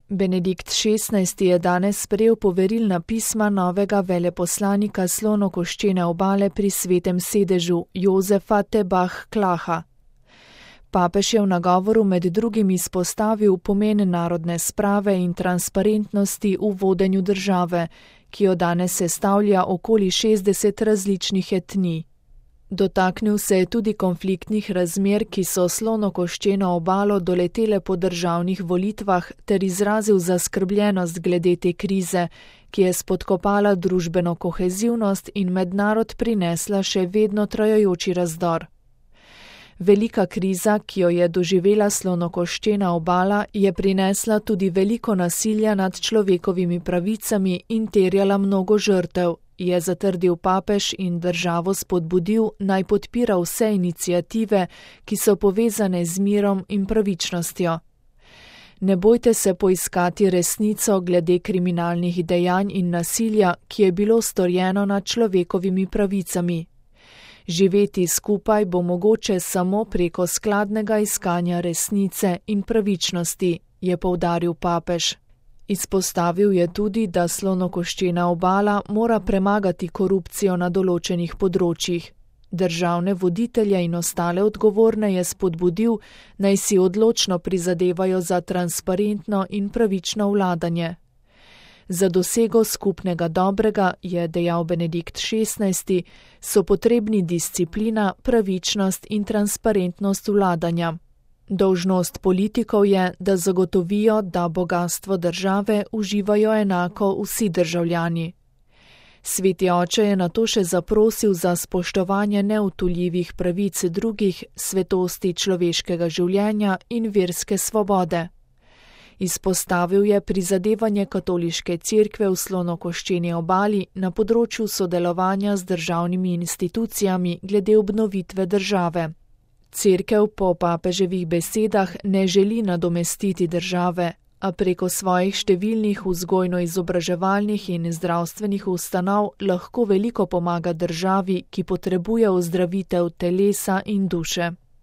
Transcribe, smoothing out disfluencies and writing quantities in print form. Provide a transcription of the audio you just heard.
Benedikt XVI. Je danes sprejel poverilna pisma novega veleposlanika Slonokoščene obale pri Svetem sedežu Jozefa Tebah-Klaha. Papež je v nagovoru med drugim izpostavil pomen narodne sprave in transparentnosti v vodenju države, ki jo danes sestavlja okoli 60 različnih etnij. Dotaknil se je tudi konfliktnih razmer, ki so Slonokoščeno obalo doletele po državnih volitvah, ter izrazil zaskrbljenost glede te krize, ki je spodkopala družbeno kohezivnost in med narod prinesla še vedno trajajoči razdor. Velika kriza, ki jo je doživela Slonokoščena obala, je prinesla tudi veliko nasilja nad človekovimi pravicami in terjala mnogo žrtev, je zatrdil papež in državo spodbudil, naj podpira vse iniciative, ki so povezane z mirom in pravičnostjo. Ne bojte se poiskati resnico glede kriminalnih dejanj in nasilja, ki je bilo storjeno nad človekovimi pravicami. Živeti skupaj bo mogoče samo preko skladnega iskanja resnice in pravičnosti, je poudaril papež. Izpostavil je tudi, da Slonokoščena obala mora premagati korupcijo na določenih področjih. Državne voditelje in ostale odgovorne je spodbudil, naj si odločno prizadevajo za transparentno in pravično vladanje. Za dosego skupnega dobrega, je dejal Benedikt XVI., so potrebni disciplina, pravičnost in transparentnost vladanja. Dolžnost politikov je, da zagotovijo, da bogastvo države uživajo enako vsi državljani. Sveti oče je nato še zaprosil za spoštovanje neodtujljivih pravic drugih, svetosti človeškega življenja in verske svobode. Izpostavil je prizadevanje katoliške cerkve v Slonokoščeni obali na področju sodelovanja z državnimi institucijami glede obnovitve države. Cerkev po papeževih besedah ne želi nadomestiti države, a preko svojih številnih vzgojno-izobraževalnih in zdravstvenih ustanov lahko veliko pomaga državi, ki potrebuje ozdravitev telesa in duše.